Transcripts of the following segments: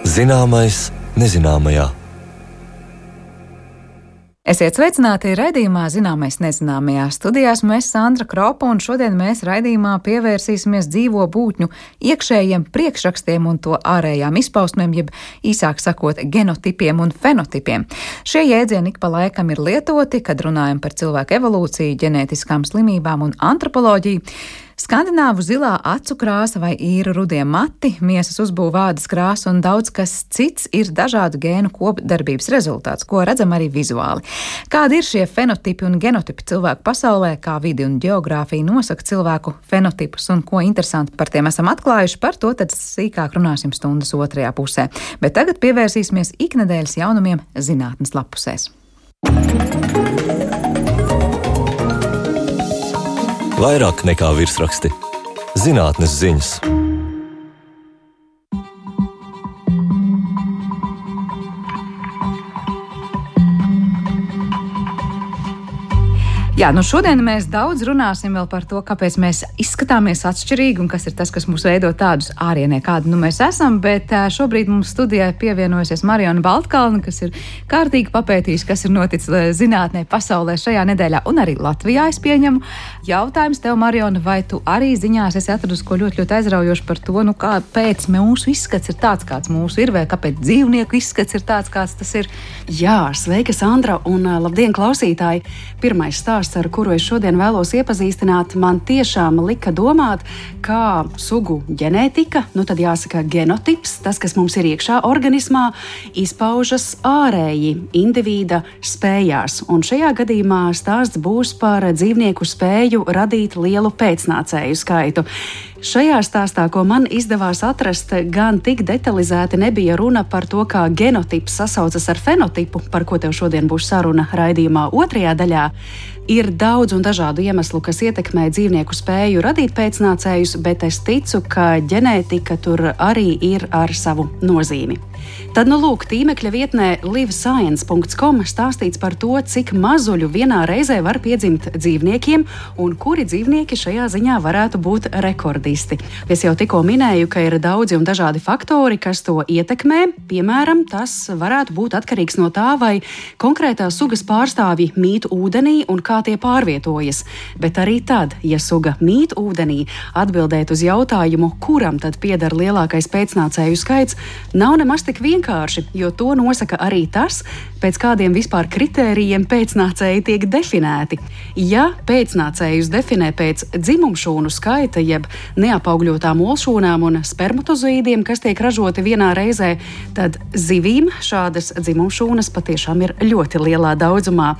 Zināmais nezināmajā. Esiet sveicināti raidījumā Zināmais nezināmajā. Studijās mēs Sandra Kropa, un šodien mēs raidījumā pievērsīsimies dzīvo būtņu iekšējiem priekšrakstiem un to ārējām izpausmēm, jeb īsāk sakot, genotipiem un fenotipiem. Šie jēdzieni ik pa laikam ir lietoti, kad runājam par cilvēku evolūciju, ģenētiskām slimībām un antropoloģiju. Skandināvu zilā acu krāsa vai īru rudie mati, miesas uzbūve, ādas krāsa un daudz kas cits ir dažādu gēnu kopdarbības rezultāts, ko redzam arī vizuāli. Kādi ir šie fenotipi un genotipi cilvēku pasaulē, kā vidi un ģeogrāfija nosaka cilvēku fenotipus un ko interesanti par tiem esam atklājuši, par to tad sīkāk runāsim stundas otrajā pusē. Bet tagad pievērsīsimies iknedēļas jaunumiem zinātnes lapusēs. Vairāk nekā virsraksti. Zinātnes ziņas. Jā, šodien mēs daudz runāsim vēl par to, kāpēc mēs izskatāmies atšķirīgi un kas ir tas, kas mūs veido tādus ārienē, kādi mēs esam, bet šobrīd mums studijā pievienojusies Mariona Baltkalne, kas ir kārtīgi papētījusi, kas ir noticis zinātnē pasaulē šajā nedēļā un arī Latvijā, es pieņemu. Jautājums tev, Mariona, vai tu arī ziņās esi atradusi ko ļoti aizraujoši par to, kāpēc mūsu izskats ir tāds, kāds mūsu ir, vai kāpēc dzīvnieku izskats ir tāds, kāds tas ir? Jā, sveika, Sandra, un labdien, klausītāji! Pirmais stāsts, ar kuru es šodien vēlos iepazīstināt, man tiešām lika domāt, kā sugu ģenētika, tad jāsaka genotips, tas, kas mums ir iekšā organismā, izpaužas ārēji individa spējās. Un šajā gadījumā stāsts būs par dzīvnieku spēju radīt lielu pēcnācēju skaitu. Šajā stāstā, ko man izdevās atrast, gan tik detalizēti nebija runa par to, kā genotips sasaucas ar fenotipu, par ko tev šodien būs saruna raidījumā otrajā daļā. Ir daudz un dažādu iemeslu, kas ietekmē dzīvnieku spēju radīt pēcnācējus, bet es ticu, ka ģenētika tur arī ir ar savu nozīmi. Tad, lūk, tīmekļa vietnē livescience.com stāstīts par to, cik mazuļu vienā reizē var piedzimt dzīvniekiem un kuri dzīvnieki šajā ziņā varētu būt rekordisti. Es jau tikko minēju, ka ir daudzi un dažādi faktori, kas to ietekmē. Piemēram, tas varētu būt atkarīgs no tā, vai konkrētā sugas pārstāvji mīt ūdenī un kā tie pārvietojas. Bet arī tad, ja suga mīt ūdenī, atbildēt uz jautājumu, kuram tad pieder lielākais pēcnācēju skaits, nav nemaz tik vienkārši, jo to nosaka arī tas, pēc kādiem vispār kritērijiem pēcnācēji tiek definēti. Ja pēcnācējus definē pēc dzimumšūnu skaita, jeb neapaugļotām olšūnām un spermatozoīdiem, kas tiek ražoti vienā reizē, tad zivīm šādas dzimumšūnas patiešām ir ļoti lielā daudzumā.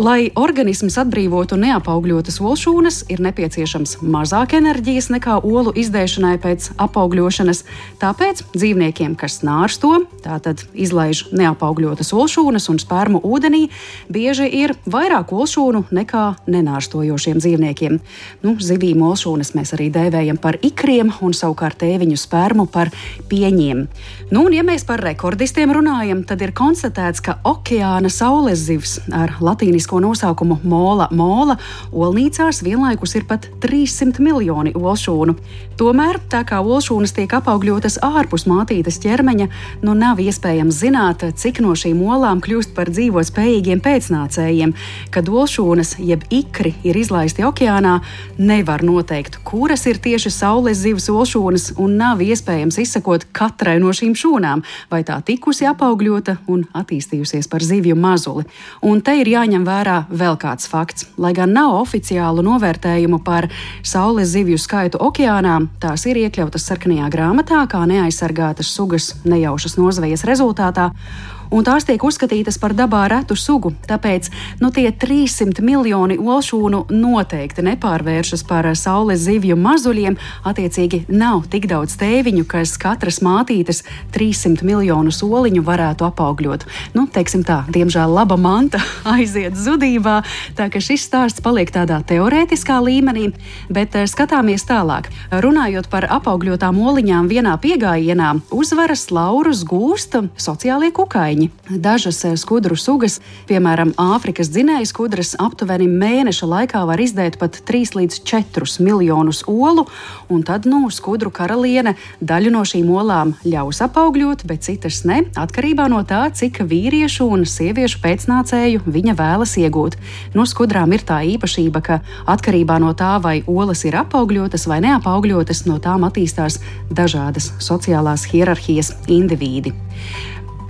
Lai organisms atbrīvotu neapaugļotas olšūnas, ir nepieciešams mazāk enerģijas nekā olu izdēšanai pēc apaugļošanas, tāpēc dzīvniekiem, kas nārsto, tātad izlaiž neapaugļotas olšūnas un spermu ūdenī, bieži ir vairāk olšūnu nekā nenārstojošiem dzīvniekiem. Zivīm olšūnas mēs arī dēvējam par ikriem un savukārt tēviņu spermu par pieņiem. Un ja mēs par rekordistiem runājam, tad ir konstatēts, ka okeāna saules zivs ar latīnisko nosaukumu mola olnīcās vienlaikus ir pat 300 miljoni olšūnu. Tomēr, tā kā olšūnas tiek apaugļotas ārpus mātītes ķermeņa, nav iespējams zināt, cik no šīm olām kļūst par dzīvot spējīgiem pēcnācējiem. Kad olšūnas jeb ikri ir izlaisti okeānā, nevar noteikt, kuras ir tieši saules zivs olšūnas, un nav iespējams izsekot katrai no šīm šūnām, vai tā tikusi apaugļota un attīstījusies par zivju mazuli. Un te ir jāņem vērā vēl kāds fakts. Lai gan nav oficiālu novērtējumu par saules zivju skaitu okeānā, tās ir iekļautas sarkanajā grāmatā kā neaizsargātas sugas nejaušas nozvejas rezultātā, un tās tiek uzskatītas par dabā retu sugu. Tāpēc tie 300 miljoni olšūnu noteikti nepārvēršas par saules zivju mazuļiem, attiecīgi nav tik daudz tēviņu, kas katras mātītes 300 miljonu soliņu varētu apaugļot. Teiksim tā, diemžēl laba manta aiziet zudībā, tā ka šis stāsts paliek tādā teorētiskā līmenī, bet skatāmies tālāk. Runājot par apaugļotām oliņām vienā piegājienā, uzvaras laurus gūst sociālie kukaiņi. viļņi. Dažas skudru sugas, piemēram, Āfrikas dzinēju skudras, aptuveni mēneša laikā var izdēt pat 3 līdz 4 miljonus olu, un tad, skudru karaliene daļu no šīm olām ļaus apaugļot, bet citas ne, atkarībā no tā, cik vīriešu un sieviešu pēcnācēju viņa vēlas iegūt. Skudrām ir tā īpašība, ka atkarībā no tā, vai olas ir apaugļotas vai neapaugļotas, no tām attīstās dažādas sociālās hierarhijas indivīdi.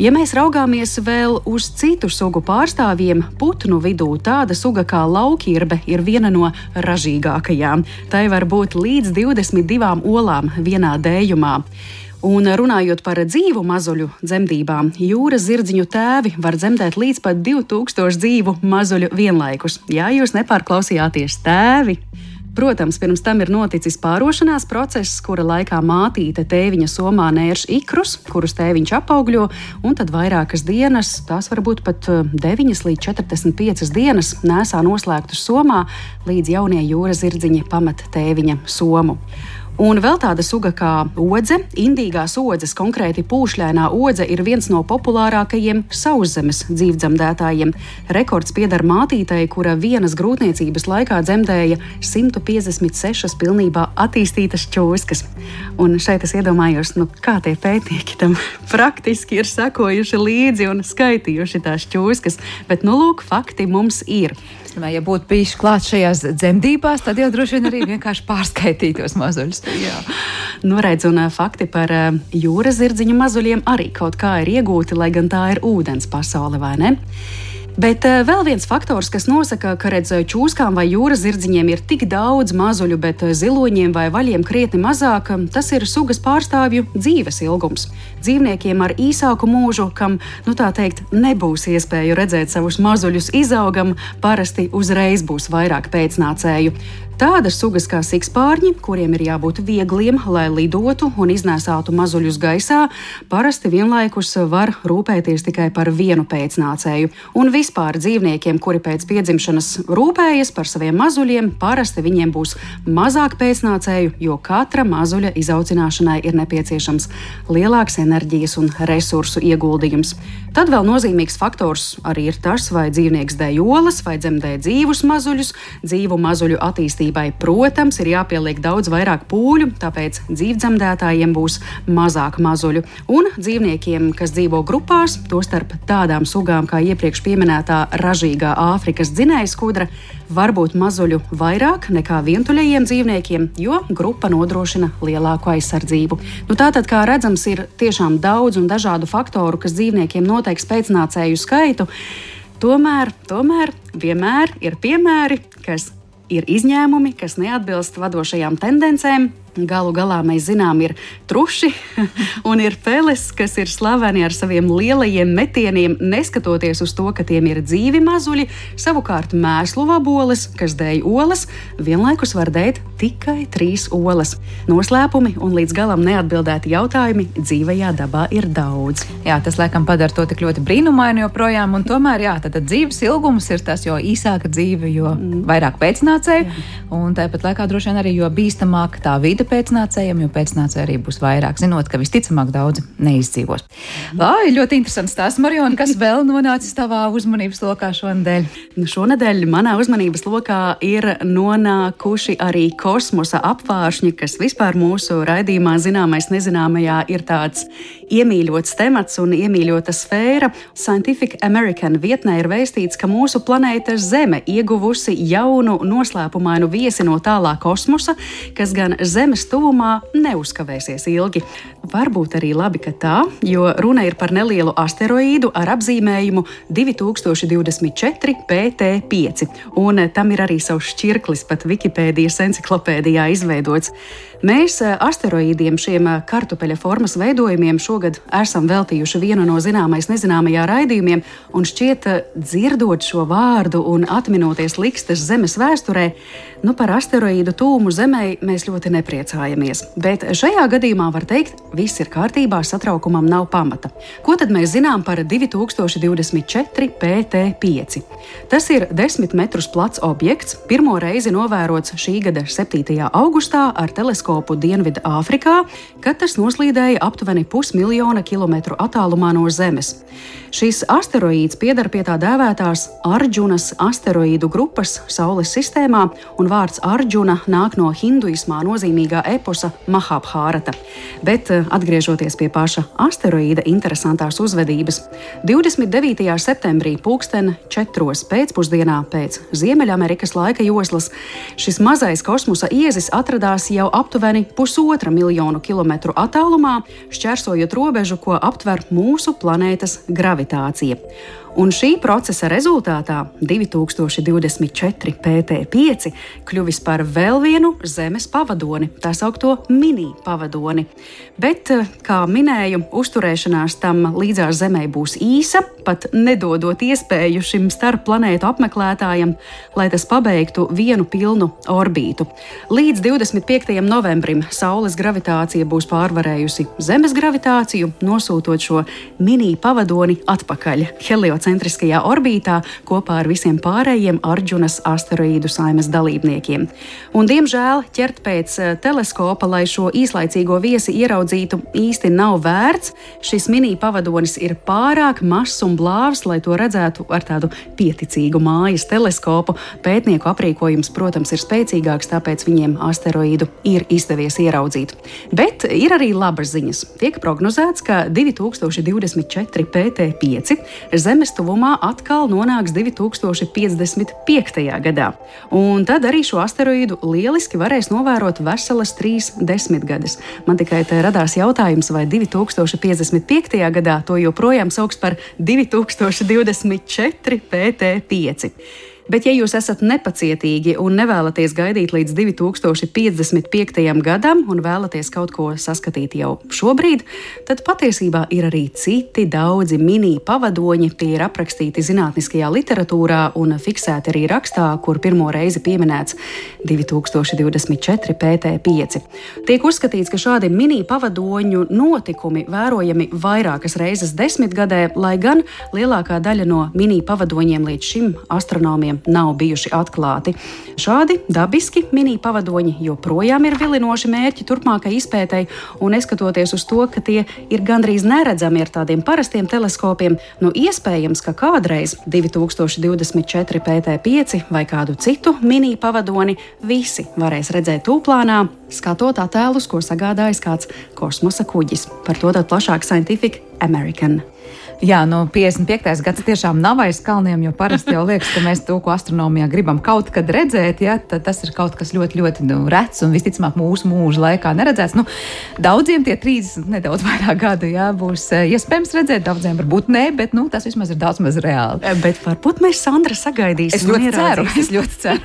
Ja mēs raugāmies vēl uz citu sugu pārstāvjiem, putnu vidū tāda suga kā laukirbe ir viena no ražīgākajām. Tai var būt līdz 22 olām vienā dējumā. Un runājot par dzīvu mazuļu dzemdībām, jūras zirdziņu tēvi var dzemdēt līdz pat 2000 dzīvu mazuļu vienlaikus. Jā, jūs nepārklausījāties, tēvi! Protams, pirms tam ir noticis pārošanās process, kura laikā mātīte tēviņa somā nērš ikrus, kurus tēviņš apaugļo, un tad vairākas dienas, tās var būt pat 9 līdz 45 dienas, nēsā noslēgtus somā, līdz jaunie jūras zirdziņi pamet tēviņa somu. Un vēl tāda suga kā odze, indīgās odzes, konkrēti pūšļainā odze, ir viens no populārākajiem sauszemes dzīvdzemdētājiem. Rekords pieder mātītei, kura vienas grūtniecības laikā dzemdēja 156 pilnībā attīstītas čūskas. Un šeit es iedomājos, kā tie pētnieki tam praktiski ir sekojuši līdzi un skaitījuši tās čūskas, bet lūk, fakti mums ir. Ja būtu bijuši klāt šajās dzemdībās, tad jau droši vien arī vienkārši pārskaitītos mazuļus. Jā. Redz, un fakti par jūras zirdziņu mazuļiem arī kaut kā ir iegūti, lai gan tā ir ūdens pasaule, vai ne? Bet vēl viens faktors, kas nosaka, ka čūskām vai jūras zirdziņiem ir tik daudz mazuļu, bet ziloņiem vai vaļiem krietni mazāk, tas ir sugas pārstāvju dzīves ilgums. Dzīvniekiem ar īsāku mūžu, kam, tā teikt, nebūs iespēju redzēt savus mazuļus izaugam, parasti uzreiz būs vairāk pēcnācēju. Tādas sugas kā sikspārņi, kuriem ir jābūt viegliem, lai lidotu un iznēsātu mazuļus gaisā, parasti vienlaikus var rūpēties tikai par vienu pēcnācēju. Un vispār dzīvniekiem, kuri pēc piedzimšanas rūpējas par saviem mazuļiem, parasti viņiem būs mazāk pēcnācēju, jo katra mazuļa izaudzināšanai ir nepieciešams lielāks enerģijas un resursu ieguldījums. Tad vēl nozīmīgs faktors arī ir tas, vai dzīvnieks dēj olas vai dzemdē dzīvus mazuļus. Dzīvu mazuļu attīstībai, protams, ir jāpieliek daudz vairāk pūļu, tāpēc dzīvdzemdētājiem būs mazāk mazuļu. Un dzīvniekiem, kas dzīvo grupās, tostarp tādām sugām kā iepriekš pieminētā ražīgā Āfrikas dzinēja skudra, var būt mazuļu vairāk nekā vientuļajiem dzīvniekiem, jo grupa nodrošina lielāku aizsardzību. Tātad, kā redzams, ir tiešām daudz un dažādu faktoru, kas dzīvniekiem noteiks pēcnācēju skaitu. Tomēr vienmēr ir piemēri, kas ir izņēmumi, kas neatbilst vadošajām tendencēm. Galu galā mēs zinām, ir truši un ir peles, kas ir slaveni ar saviem lielajiem metieniem, neskatoties uz to, ka tiem ir dzīvi mazuļi. Savukārt mēslu vaboles, kas dēj olas, vienlaikus var dēt tikai 3 olas. Noslēpumi un līdz galam neatbildēti jautājumi dzīvajā dabā ir daudz. Jā, tas laikam padara to tik ļoti brīnumainu joprojām, un tomēr, tad dzīves ilgums ir tas, jo īsāka dzīve, jo vairāk pēcnācēju, un tāpat laikā droši vien arī, jo bīstamāk tā vide pēcnācējiem, jo pēcnācēji arī būs vairāk, zinot, ka visticamāk daudz neizdzīvos. Ļoti interesants stāsts, Mariona, kas vēl nonācis tavā uzmanības lokā šonadēļ? Šonadēļ manā uzmanības lokā ir nonākuši arī kosmosa apvāršņi, kas vispār mūsu raidījumā Zināmais nezināmajā ir tāds iemīļots temats un iemīļota sfēra. Scientific American vietnē ir vēstīts, ka mūsu planēta Zeme ieguvusi jaunu noslēpumainu viesi no tālā kosmosa, kas gan Zemes tuvumā neuzkavēsies ilgi. Varbūt arī labi, ka tā, jo runa ir par nelielu asteroīdu ar apzīmējumu 2024 PT5, un tam ir arī savs šķirklis pat Wikipēdijas enciklopēdijā izveidots. Mēs asteroīdiem, šiem kartupeļa formas veidojumiem, šogad esam veltījuši vienu no Zināmais nezināmajā raidījumiem, un šķiet, dzirdot šo vārdu un atminoties likstas Zemes vēsturē, par asteroīdu tūmu Zemei mēs ļoti nepriecājamies. Bet šajā gadījumā var teikt, viss ir kārtībā, satraukumam nav pamata. Ko tad mēs zinām par 2024 PT5? Tas ir 10 metrus plats objekts, pirmo reizi novērots šī gada 7. augustā ar teleskopu teleskopu Dienvidu Āfrikā, kad tas noslīdēja aptuveni 500 miljonu kilometru attālumā no Zemes. Šis asteroīds pieder pie tā dēvētās Arģunas asteroīdu grupas Saules sistēmā, un vārds Arģuna nāk no hinduismā nozīmīgā eposa Mahabhārata. Bet atgriežoties pie paša asteroīda interesantās uzvedības, 29. septembrī 4:00 pēcpusdienā pēc Ziemeļamerikas laika joslas šis mazais kosmosa iezis atradās jau aptuveni 1,5 miljonu kilometru attālumā, šķērsojot robežu, ko aptver mūsu planētas gravitācija. Un šī procesa rezultātā 2024 PT5 kļuvis par vēl vienu Zemes pavadoni, tā saukto mini pavadoni. Bet, kā minēju, uzturēšanās tam līdzās Zemei būs īsa, pat nedodot iespēju šim starpplanētu apmeklētājam, lai tas pabeigtu vienu pilnu orbītu. Līdz 25. novembrim Saules gravitācija būs pārvarējusi Zemes gravitāciju, nosūtot šo mini pavadoni atpakaļ heliocentriskajā orbītā kopā ar visiem pārējiem Arģunas asteroīdu saimes dalībniekiem. Un, diemžēl, ķert pēc teleskopa, lai šo īslaicīgo viesi ieraudzītu, īsti nav vērts. Šis mini pavadonis ir pārāk mazs un blāvs, lai to redzētu ar tādu pieticīgu mājas teleskopu. Pētnieku aprīkojums, protams, ir spēcīgāks, tāpēc viņiem asteroīdu ir izdevies ieraudzīt. Bet ir arī labas ziņas. Tiek prognozēts, ka 2024 PT5 Zemes tuvumā atkal nonāks 2055. gadā. Un tad arī šo asteroīdu lieliski varēs novērot veselas 3 desmitgades. Man tikai te radās jautājums, vai 2055. gadā to joprojām sauks par 2024 PT5. Bet, ja jūs esat nepacietīgi un nevēlaties gaidīt līdz 2055. gadam un vēlaties kaut ko saskatīt jau šobrīd, tad patiesībā ir arī citi daudzi mini pavadoņi. Tie ir aprakstīti zinātniskajā literatūrā un fiksēti arī rakstā, kur pirmo reizi pieminēts 2024 PT5. Tiek uzskatīts, ka šādi mini pavadoņu notikumi vērojami vairākas reizes desmitgadē, lai gan lielākā daļa no mini pavadoņiem līdz šim astronomiem nav bijuši atklāti. Šādi dabiski mini pavadoņi joprojām ir vilinoši mērķi turpmākai izpētei, un neskatoties uz to, ka tie ir gandrīz neredzami ar tādiem parastiem teleskopiem, iespējams, ka kādreiz 2024 PT5 vai kādu citu mini pavadoni visi varēs redzēt tūplānā, skatot attēlus, ko sagādājis kāds kosmosa kuģis. Par to tad plašāk Scientific American. Jā, 55. gads tiešām nav aiz kalniem, jo parasti jau liekas, ka mēs to, ko astronomijā gribam kaut kad redzēt, ja, tad tas ir kaut kas ļoti, ļoti rets un visticamāk mūsu mūža laikā neredzēts. Daudziem tie 30 nedaudz vairāk gadu būs iespējams redzēt, daudziem varbūt nē, bet tas vismaz ir daudz maz reāli. Bet varbūt mēs, Sandra, sagaidīsim. Es ļoti ceru.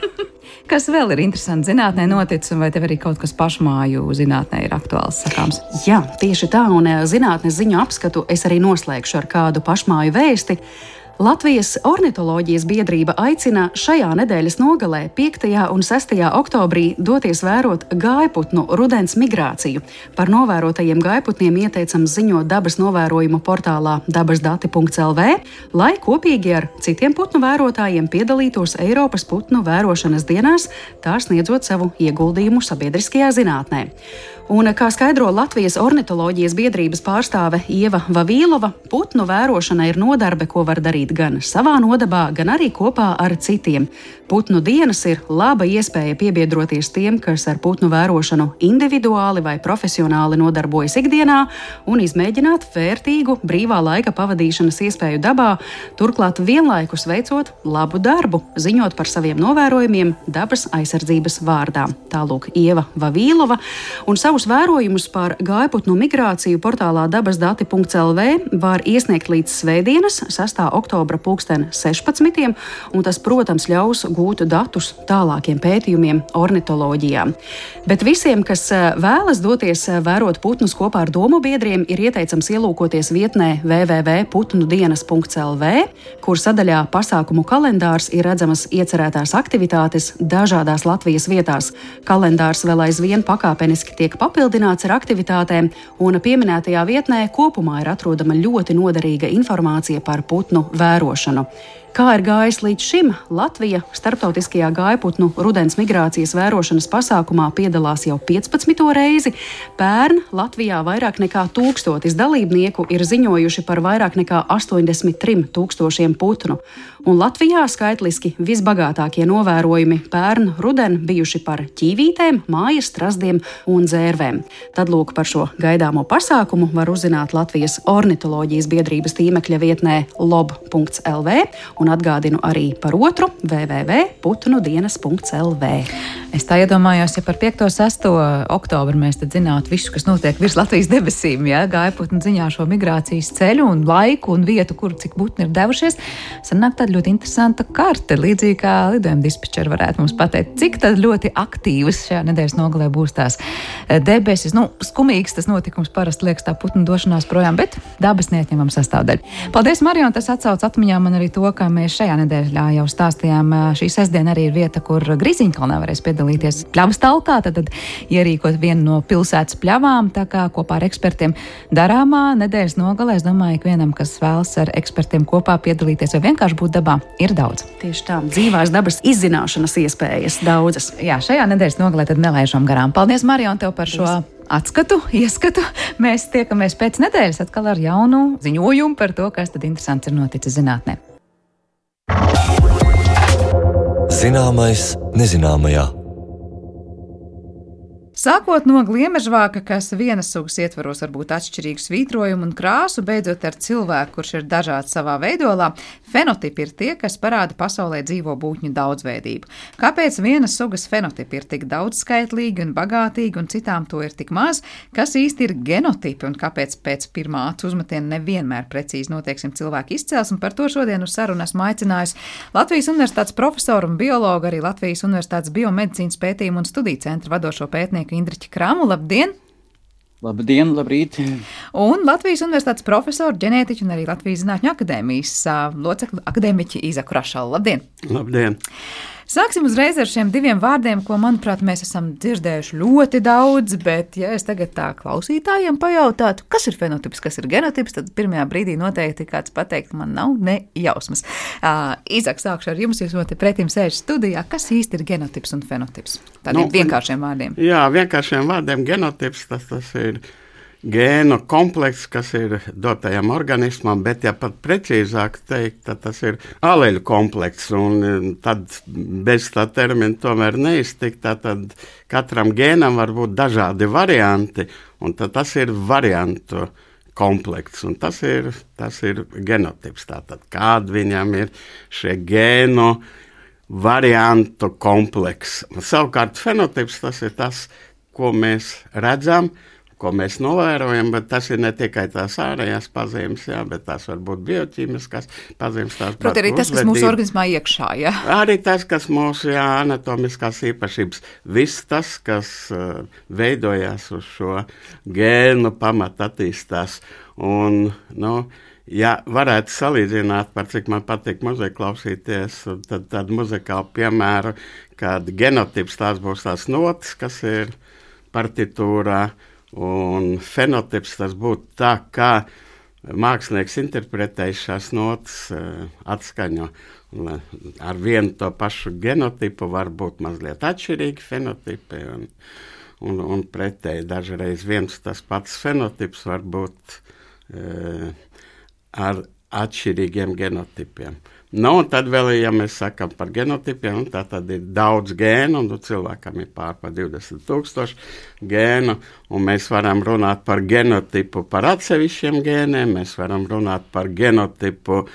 Kas vēl ir interesanti zinātnē noticis, un vai tev arī kaut kas pašmāju zinātnē ir aktuāls sakāms? Jā, tieši tā, un zinātnes ziņu apskatu es arī noslēgšu ar kādu pašmāju vēsti. Latvijas ornitoloģijas biedrība aicina šajā nedēļas nogalē, 5. un 6. oktobrī, doties vērot gājputnu rudens migrāciju. Par novērotajiem gājputniem ieteicams ziņot dabas novērojumu portālā dabasdati.lv, lai kopīgi ar citiem putnu vērotājiem piedalītos Eiropas putnu vērošanas dienās, tā sniedzot savu ieguldījumu sabiedriskajā zinātnē. Un, kā skaidro Latvijas ornitoloģijas biedrības pārstāve Ieva Vavīlova, putnu vērošana ir nodarbe, ko var darīt gan savā nodabā, gan arī kopā ar citiem. Putnu dienas ir laba iespēja piebiedroties tiem, kas ar putnu vērošanu individuāli vai profesionāli nodarbojas ikdienā, un izmēģināt vērtīgu brīvā laika pavadīšanas iespēju dabā, turklāt vienlaikus veicot labu darbu, ziņot par saviem novērojumiem dabas aizsardzības vārdā. Tālūk Ieva Vavīlova, un savus vērojumus par gājputnu migrāciju portālā dabasdati.lv var iesniegt līdz svētdienas, 6. oktobra 16. un tas, protams, ļaus gūt datus tālākiem pētījumiem ornitoloģijā. Bet visiem, kas vēlas doties vērot putnus kopā ar domu biedriem, ir ieteicams ielūkoties vietnē www.putnudienas.lv, kur sadaļā pasākumu kalendārs ir redzamas iecerētās aktivitātes dažādās Latvijas vietās. Kalendārs vēl aizvien pakāpeniski tiek papildināts ar aktivitātēm, un pieminētajā vietnē kopumā ir atrodama ļoti noderīga informācija par putnu vērošanu. Kā ir gājis līdz šim, Latvija starptautiskajā gājputnu rudens migrācijas vērošanas pasākumā piedalās jau 15. reizi. Pērn Latvijā vairāk nekā 1000 dalībnieku ir ziņojuši par vairāk nekā 83 000 putnu. Un Latvijā skaitliski visbagātākie novērojumi pērn ruden bijuši par ķīvītēm, mājas strazdiem un dzērvēm. Tad lūk par šo gaidāmo pasākumu var uzzināt Latvijas ornitoloģijas biedrības tīmekļa vietnē lob.lv un atgādinu arī par otru www.putnudienas.lv. Es tā iedomājos, ja par 5. un 6. oktobru mēs tad zinātu visu, kas notiek virs Latvijas debesīm, ja, gājputnu ziņā šo migrācijas ceļu un laiku un vietu, kur cik putni ir devušies, sanāk tāda ļoti interesanta karte, līdzīgi kā lidojuma dispečeri varētu mums pateikt, cik tad ļoti aktīvas šajā nedēļas nogalē būs tās debesis. Skumīgs tas notikums parasti liekas tā putnu došanās projām, bet dabas neatņemama sastāvdaļa. Paldies, Marija, un tas atsauc atmiņā man arī to, ka mēs šajā nedēļā jau stāstījām. Šī sestdiena arī ir vieta, kur Grīziņkalnā varēs piedalīties pļavas talkā, tad ierīkot vienu no pilsētas pļavām, tā kā kopā ar ekspertiem darāmā nedēļas nogalē. Es domāju, ka vienam, kas vēlas ar ekspertiem kopā piedalīties vai vienkārši būt dabā, ir daudz. Tieši tā, dzīvās dabas izzināšanas iespējas daudzas. Jā, šajā nedēļas nogalē tad nelaižam garām. Paldies, Marija, un tev par šo ieskatu. Mēs tiekamies pēc nedēļas atkal ar jaunu ziņojumu par to, kas tad interesants ir noticis zinātnē. Zināmais nezināmajā. Sākot no gliemežvāka, kas vienas sugas ietvaros var būt atšķirīgu svītrojumu un krāsu, beidzot ar cilvēku, kurš ir dažāds savā veidolā, fenotipi ir tie, kas parāda pasaulē dzīvo būtņu daudzveidību. Kāpēc vienas sugas fenotipi ir tik daudzskaitlīgi un bagātīgi un citām to ir tik maz? Kas īsti ir genotipi un kāpēc pēc pirmā acu uzmetiena nevienmēr precīzi notieksim cilvēku izcelsmi? Par to šodien uz sarunu esmu aicinājusi Latvijas Universitātes profesoru un biologu, arī Latvijas Universitātes biomedicīnas pētījumu un studiju centra vadošo pētnieku Indriķi Kramu. Labdien! Labdien, labrīt! Un Latvijas Universitātes profesoru, ģenētiķu un arī Latvijas Zinātņu akadēmijas locekli akadēmiķi Izaku Rašalu. Labdien! Labdien! Sāksim uzreiz ar šiem diviem vārdiem, ko, manuprāt, mēs esam dzirdējuši ļoti daudz, bet, ja es tagad tā klausītājiem pajautātu, kas ir fenotips, kas ir genotips, tad pirmajā brīdī noteikti kāds pateikt, man nav ne jausmas. Izak, sākšu ar jums, jūs pretim sēž studijā. Kas īsti ir genotips un fenotips? Tādiem vienkāršiem vārdiem. Jā, vienkāršiem vārdiem genotips, tas ir gēnu komplekss, kas ir dotajam organismam, bet, ja pat precīzāk teikt, tad tas ir aleļu komplekss, un tad bez tā termina tomēr neiztikt, tad katram gēnam var būt dažādi varianti, un tad tas ir variantu komplekss, un tas ir genotips. Tātad, kāda viņam ir šie gēnu variantu komplekss. Savukārt fenotips tas ir tas, ko mēs redzam, ko mēs novērojam, bet tas ir ne tikai tās ārējās pazīmes, jā, bet tās var būt bioķīmiskās pazīmes. Protams, arī tas, kas mūsu organismā iekšā, jā. Arī tas, kas mūsu anatomiskās īpašības, viss tas, kas veidojās uz šo gēnu pamata attīstās. Un, ja varētu salīdzināt, par cik man patīk muziku klausīties, tad muzikālu piemēru, kad genotips tās būs tās notas, kas ir partitūrā, un fenotips tas būtu tā, kā mākslinieks interpretējis šās notas atskaņo. Ar vienu to pašu genotipu var būt mazliet atšķirīgi fenotipi, un pretēji dažreiz viens tas pats fenotips var būt ar atšķirīgiem genotipiem. Un tad vēl, ja mēs sakam par genotipiem, tad ir daudz gēnu, un cilvēkam ir pār 20 000 gēnu, un mēs varam runāt par genotipu par atsevišķiem gēniem, mēs varam runāt par genotipu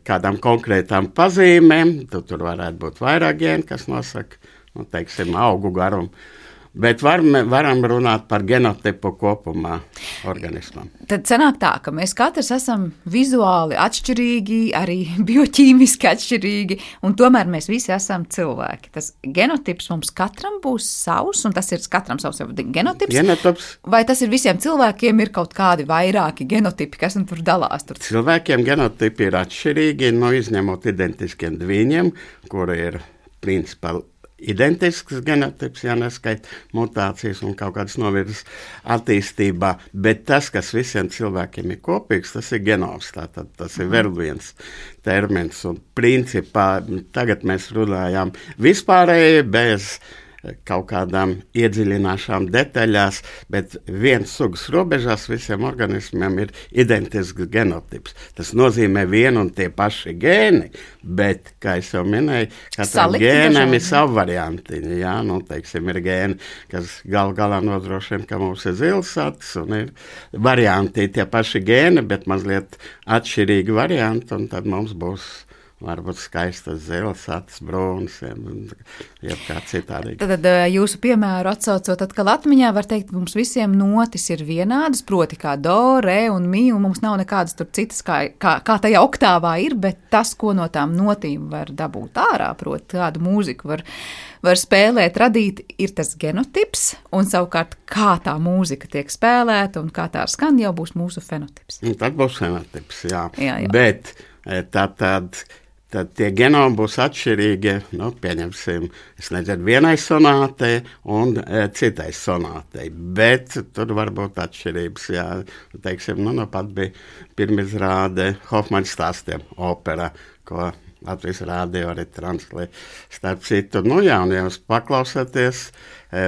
kādām konkrētām pazīmēm, tur varētu būt vairāk gēnu, kas nosaka, teiksim, augu garumu. Bet varam runāt par genotipu kopumā organismam. Tad sanāk tā, ka mēs katrs esam vizuāli atšķirīgi, arī bioķīmiski atšķirīgi, un tomēr mēs visi esam cilvēki. Tas genotips mums katram būs savs, un tas ir katram savs genotips. Vai tas ir visiem cilvēkiem, ir kaut kādi vairāki genotipi, kas tur dalās? Cilvēkiem genotipi ir atšķirīgi, izņemot identiskiem dviņiem, kuri ir principā identisks genotips, ja neskait mutācijas un kaut kādas novirzes attīstībā, bet tas, kas visiem cilvēkiem ir kopīgs, tas ir genoms, tātad tas ir vēl viens termins, un principā tagad mēs runājām vispārēji bez kaut kādām iedziļināšām detaļās, bet viens sugas robežās visiem organismiem ir identisks genotips. Tas nozīmē vienu un tie paši gēni, bet, kā es jau minēju, katram gēnam ir savu variantiņu, jā, teiksim, ir gēni, kas galā nodrošina, ka mums ir zils acis, un ir varianti tie paši gēni, bet mazliet atšķirīgi varianti, un tad mums būs varbūt skaistas zils, acis, brūnas, ja kā citādi. Tad jūsu piemēru atsaucot atkal atmiņā, var teikt, mums visiem notis ir vienādas, proti kā do, re un mi, un mums nav nekādas tur citas, kā tajā oktāvā ir, bet tas, ko no tām notīm var dabūt ārā, proti kādu mūziku var spēlēt, radīt, ir tas genotips, un savukārt kā tā mūzika tiek spēlēta un kā tā skan, jau būs mūsu fenotips. Tad būs fenotips, jā. Bet tad tie genomi būs atšķirīgi, pieņemsim, es nezinu, vienai sonātei un citai sonātei, bet tur var būt atšķirības, jā, teiksim, pat bija pirmizrāde Hofmaņa stāstiem opera, ko Latvijas rādio arī translē. Starp citu, un ja jūs paklausāties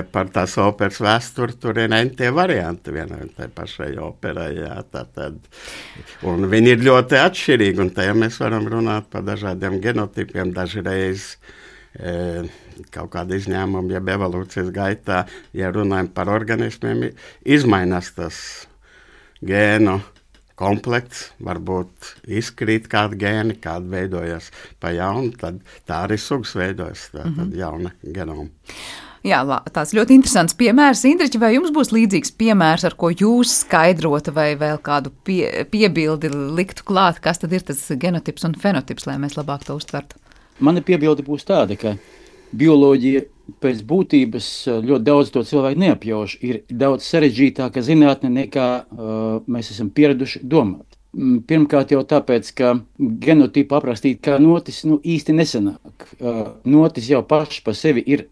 par tās operas vēsturi, tur ir tie varianti vienai un tai pašai operai, jā, tātad. Un viņi ir ļoti atšķirīgi, un tajā mēs varam runāt par dažādiem genotipiem, dažreiz kaut kāda izņēmuma, jeb evolūcijas gaitā, ja runājam par organismiem, izmainās tas gēnu komplekts, varbūt izkrīt kādi gēni, kādi veidojas pa jaunu, tad tā arī sugas veidojas, tad jauna genoma. Jā, tāds ļoti interesants piemērs. Indriķi, vai jums būs līdzīgs piemērs, ar ko jūs skaidrotu vai vēl kādu piebildi liktu klāt, kas tad ir tas genotips un fenotips, lai mēs labāk to uztvertu? Mana piebilde būs tāda, ka bioloģija pēc būtības ļoti daudz to cilvēku neapjauš, ir daudz sarežģītāka zinātne nekā mēs esam pieraduši domāt. Pirmkārt jau tāpēc, ka genotipu aprakstīt kā notis īsti nesanāk. Notis jau paši par sevi ir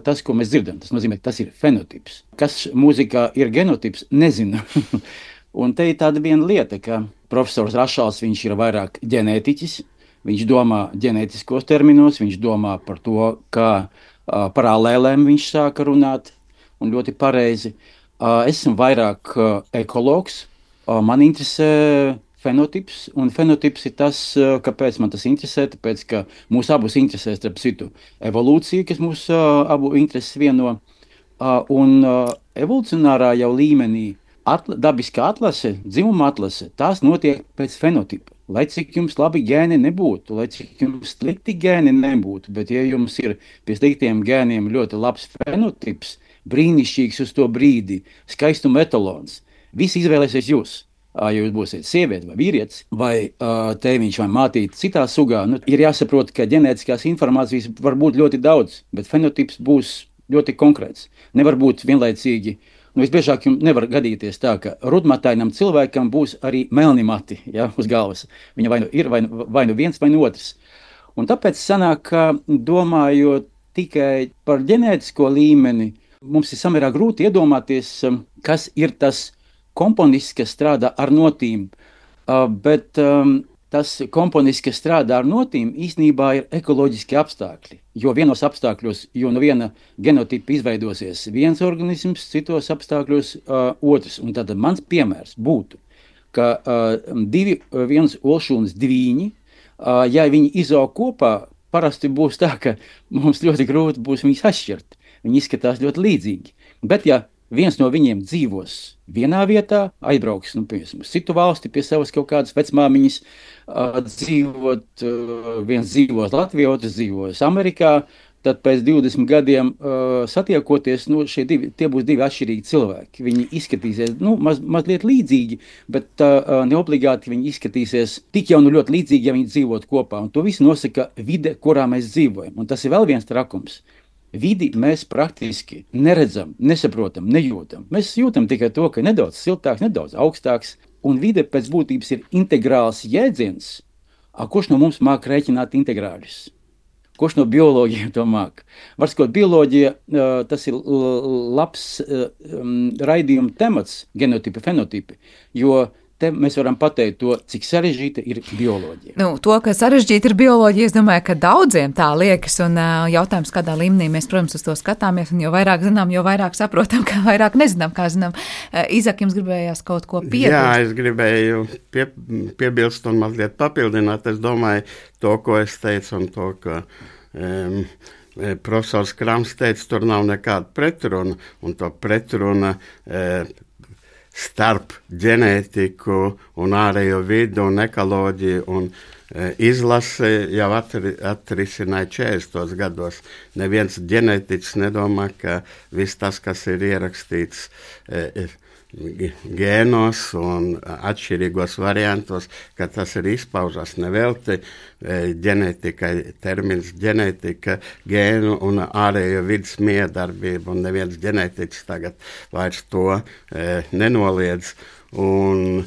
tas, ko mēs dzirdam. Tas nozīmē, ka tas ir fenotips. Kas mūzikā ir genotips, nezinu. Un te ir tāda viena lieta, ka profesors Rašals, viņš ir vairāk ģenētiķis, viņš domā ģenētiskos terminos, viņš domā par to, kā paralēlēm viņš sāka runāt, un ļoti pareizi. Es esmu vairāk ekologs, man interesē fenotips, un fenotips ir tas, kāpēc man tas interesē, tāpēc, ka mūs abus interesē, starp citu, evolūcija, kas mūs abu intereses vieno, un evolucionārā jau līmenī dabiskā atlase, dzimuma atlase, tās notiek pēc fenotipa. Lai cik jums labi gēni nebūtu, lai cik jums slikti gēni nebūtu, bet ja jums ir pie sliktiem gēniem ļoti labs fenotips, brīnišķīgs uz to brīdi, skaistuma etalons, visi izvēlēsies jūs. Ja jūs būsiet sieviete vai vīrietis, vai tēviņš vai mātīte citā sugā, ir jāsaprot, ka ģenētiskās informācijas var būt ļoti daudz, bet fenotips būs ļoti konkrēts. Nevar būt vienlaicīgi. Visbiežāk jums nevar gadīties tā, ka rudmatainam cilvēkam būs arī melni mati, uz galvas. Viņa vai nu ir vai nu viens vai nu otrs. Un tāpēc sanāk, ka domājot tikai par ģenētisko līmeni, mums ir samērā grūti iedomāties, kas ir tas komponists, kas strādā ar notīm. Bet tas komponists, kas strādā ar notīm, īstenībā ir ekoloģiski apstākļi. Jo vienos apstākļos, jo no viena genotipa izveidosies viens organisms, citos apstākļos otrs. Un tad mans piemērs būtu, ka viens olšūnas dvīņi, ja viņi izaug kopā, parasti būs tā, ka mums ļoti grūti būs viņus atšķirt. Viņi izskatās ļoti līdzīgi. Bet ja viens no viņiem dzīvos vienā vietā, aizbrauks, piemēram, uz citu valsti pie savas kaut kādas vecmāmiņas, viens dzīvos Latvijā, otrs dzīvos Amerikā, tad pēc 20 gadiem satiekoties, tie būs divi atšķirīgi cilvēki. Viņi izskatīsies mazliet līdzīgi, bet neobligāti viņi izskatīsies tik jau ļoti līdzīgi, ja viņi dzīvot kopā. Un to visu nosaka vide, kurā mēs dzīvojam. Un tas ir vēl viens trakums. Vidi mēs praktiski neredzam, nesaprotam, nejūtam. Mēs jūtam tikai to, ka nedaudz siltāks, nedaudz augstāks, un vide pēc būtības ir integrāls jēdziens, kurš no mums māk rēķināt integrāļus. Kurš no bioloģiem to māk? Var sakot, bioloģija, tas ir labs raidījuma temats, genotipi, fenotipi, jo te mēs varam pateikt to, cik sarežģīta ir bioloģija. To, ka sarežģīta ir bioloģija, es domāju, ka daudziem tā liekas, un jautājums, kādā līmenī mēs, protams, uz to skatāmies, un jo vairāk zinām, jo vairāk saprotam, kā vairāk nezinām, kā zinām. Izak, jums gribējās kaut ko piebilst? Jā, es gribēju piebilst un mazliet papildināt. Es domāju, to, ko es teicu, un to, ka profesors Krams teica, tur nav nekāda pretruna, un to pretruna starp ģenētiku un ārējo vidu un ekoloģiju un izlasi jau atrisināja 40. gados. Neviens ģenētiķis nedomā, ka viss tas, kas ir ierakstīts gēnos un atšķirīgos variantos, ka tas ir izpaužas nevelti ģenētikai, termins ģenētika, gēnu un ārējo vidas miedarbība, un neviens ģenētiķis tagad vairs to nenoliedz, un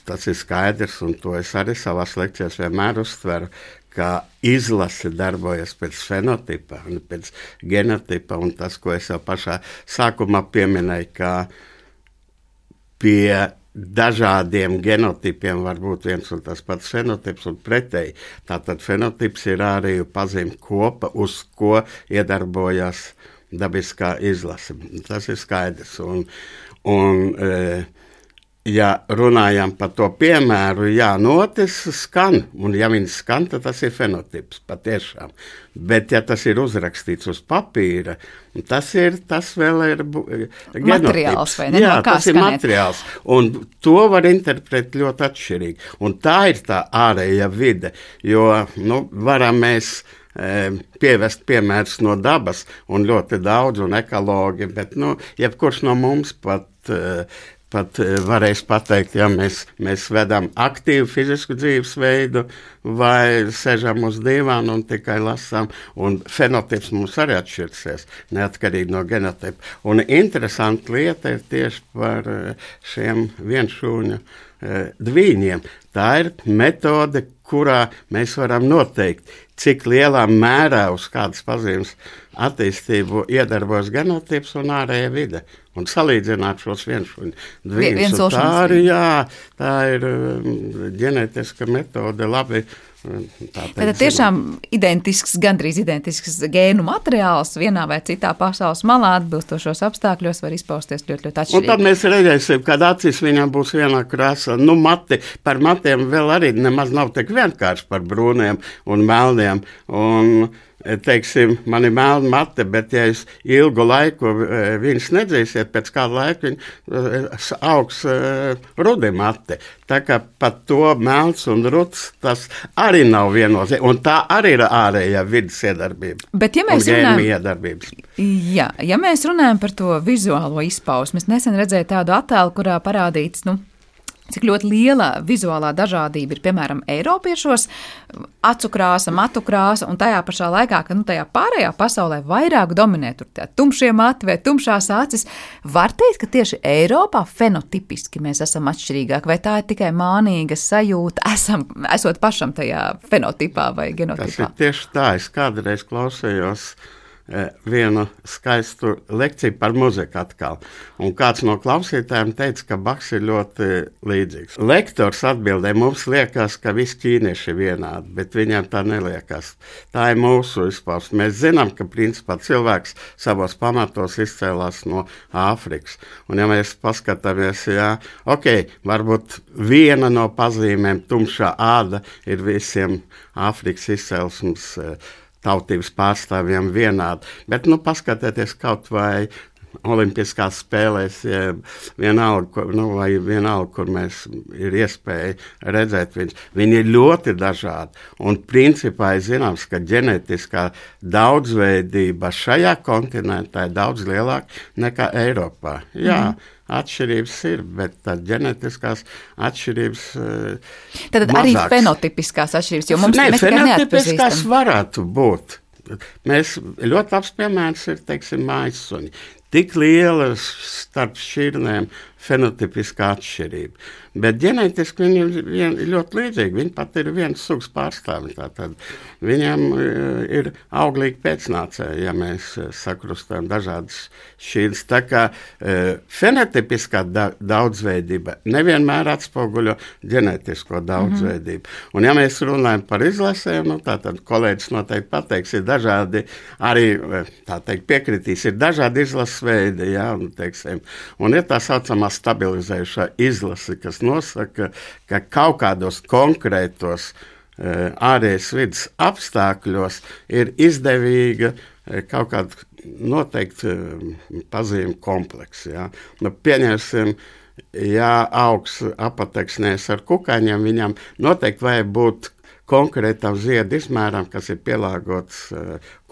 tas ir skaidrs, un to es arī savās lekcijās vienmēr uztveru, ka izlase darbojas pēc fenotipa un pēc genotipa, un tas, ko es jau pašā sākumā pieminēju, ka pie dažādiem genotipiem var būt viens un tas pats fenotips un pretēji. Tātad fenotips ir ārēju pazīme kopa, uz ko iedarbojas dabiskā izlase. Tas ir skaidrs. Ja runājam par to piemēru, jā, notis skan, un ja viņš skan, tad tas ir fenotips, patiešām. Bet ja tas ir uzrakstīts uz papīra, tas vēl ir materiāls, vai ne? Jā, tas ir materiāls, un to var interpretēt ļoti atšķirīgi. Un tā ir tā ārēja vide, jo, varam mēs pievest piemērus no dabas, un ļoti daudz, un ekologi, bet, jebkurš no mums pat varēs pateikt, ja mēs vedam aktīvu fizisku dzīvesveidu vai sežam uz dīvānu un tikai lasām, un fenotips mums arī atšķirsies, neatkarīgi no genotipa. Un interesanta lieta ir tieši par šiem vienšūņu dvīņiem. Tā ir metode, kurā mēs varam noteikt, cik lielā mērā uz kādas pazīmes attīstību iedarbojas genotips un ārēja vide. Un salīdzināt šos vienšūņu dvīņus. Tā ir ģenētiska metode, labi. Tad tiešām gandrīz identisks gēnu materiāls vienā vai citā pasaules malā atbilstošos apstākļos var izpausties ļoti, ļoti atšķirīgi. Un tad mēs redzēsim, kad acīs viņam būs vienā krāsā. Par matiem vēl arī nemaz nav tik vienkārši par brūniem un melniem. Un teiksim, man ir melna mate, bet ja es ilgu laiku viņas nedzīsiet, pēc kāda laika viņa augs rudi mate. Tā kā pat to melns un ruds, tas arī nav viennozīmīgi. Un tā arī ir ārējā vidas iedarbība. Bet ja mēs mēs runājam par to vizuālo izpausmi, es nesen redzēju tādu attēlu, kurā parādīts, cik ļoti liela vizuālā dažādība ir, piemēram, eiropiešos, acu krāsa, matu krāsa, un tajā pašā laikā, ka tajā pārējā pasaulē vairāk dominē tur tumšie mati vai tumšās acis, var teikt, ka tieši Eiropā fenotipiski mēs esam atšķirīgāki, vai tā ir tikai mānīga sajūta, esot pašam tajā fenotipā vai genotipā? Tas ir tieši tā, es kādreiz klausējos vienu skaistu lekciju par muziku atkal. Un kāds no klausītājiem teica, ka Bachs ir ļoti līdzīgs. Lektors atbildēja, mums liekas, ka visi ķīnieši ir vienādi, bet viņiem tā neliekas. Tā ir mūsu izpausme. Mēs zinām, ka principā cilvēks savos pamatos izcēlās no Āfrikas. Un ja mēs paskatāmies, varbūt viena no pazīmēm tumšā āda ir visiem Āfrikas izcelsmes tautības pārstāvjiem vienādi. Bet, paskatieties kaut vai olimpiskās spēlēs, vienalga, kur mēs ir iespēja redzēt viņus. Viņi ir ļoti dažādi. Un principā ir zināms, ka ģenētiskā daudzveidība šajā kontinentā ir daudz lielāka nekā Eiropā. Jā, atšķirības ir, bet tad ģenētiskās atšķirības tad mazāks. Arī fenotipiskās atšķirības, jo mums fenotipiskās varētu būt. Mēs ļoti labs piemērs ir, teiksim, mājassuņi. Tik lielas starp šķirnēm fenotipiska atšķirība. Bet ģenētiski viņi ir ļoti līdzīgi. Viņi pat ir viens sugas pārstāvi. Tātad viņam ir auglīgi pēcnācēji, ja mēs sakrustām dažādas šķīras. Tā kā fenotipiskā daudzveidība nevienmēr atspoguļo ģenētisko daudzveidību. Un ja mēs runājam par izlasēm, tātad kolēģis noteikti pateiks, ir dažādi, arī tā teikt piekritīs, ir dažādi izlases veidi, ja, un ir tā saucamā stabilizējušā izlase, kas nosaka, ka kaut kādos konkrētos ārējas vidas apstākļos ir izdevīga kaut kāda noteikti pazīme komplekss. Ja. Pieņemsim, ja augs apateksnēs ar kukaiņiem, viņam noteikti vajag būt konkrētam ziedu izmēram, kas ir pielāgots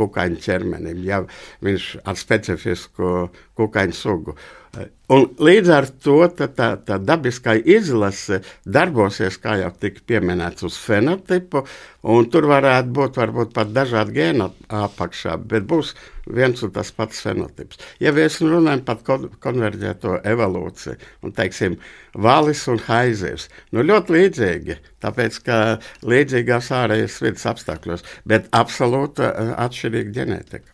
kukaiņu ķermenim, ja viņš ar specifisku kukaiņu sugu. Un līdz ar to tā dabiskā izlase darbosies, kā jau tika pieminēts, uz fenotipu, un tur varētu būt varbūt pat dažādi gēni apakšā, bet būs viens un tas pats fenotips. Ja mēs runājam par konverģēto evolūciju, un teiksim, valis un haizivs, ļoti līdzīgi, tāpēc, ka līdzīgās ārējas vidas apstākļos, bet absolūti atšķirīga ģenētika.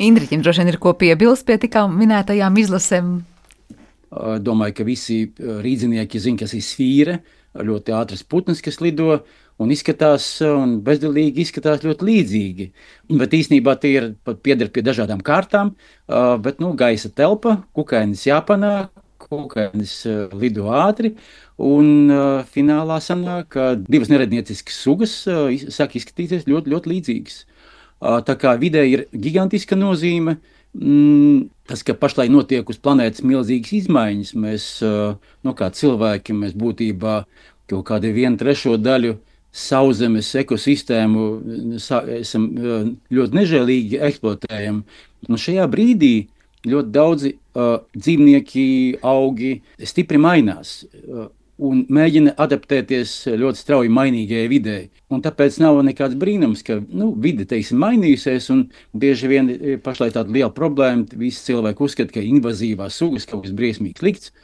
Indriķim droši vien ir ko piebilst pie tikā minētajām izlasēm. Domāju, ka visi rīdzinieki zina, kas ir sfīre, ļoti ātras putnas, kas lido un izskatās un bezdelīgi izskatās ļoti līdzīgi. Bet īstenībā tie ir pieder pie dažādām kārtām, bet gaisa telpa, kukainis jāpanāk, kukainis lido ātri, un finālā sanāk, ka divas nerednieciskas sugas sāk izskatīties ļoti, ļoti līdzīgas. Tā kā vidē ir gigantiska nozīme, tas, ka pašlaik notiek uz planētas milzīgas izmaiņas, mēs, kā cilvēki, mēs būtībā kaut kādu 1/3 daļu sauszemes ekosistēmu esam ļoti nežēlīgi eksploatējam. Un šajā brīdī ļoti daudzi dzīvnieki, augi stipri mainās un mēģina adaptēties ļoti strauji mainīgajai videi. Un tāpēc nav nekāds brīnums, ka vide, mainījusies, un bieži vien pašlaik tāda liela problēma. Visi cilvēki uzskata, ka invazīvās sugas kaut kas briesmīgi slikts.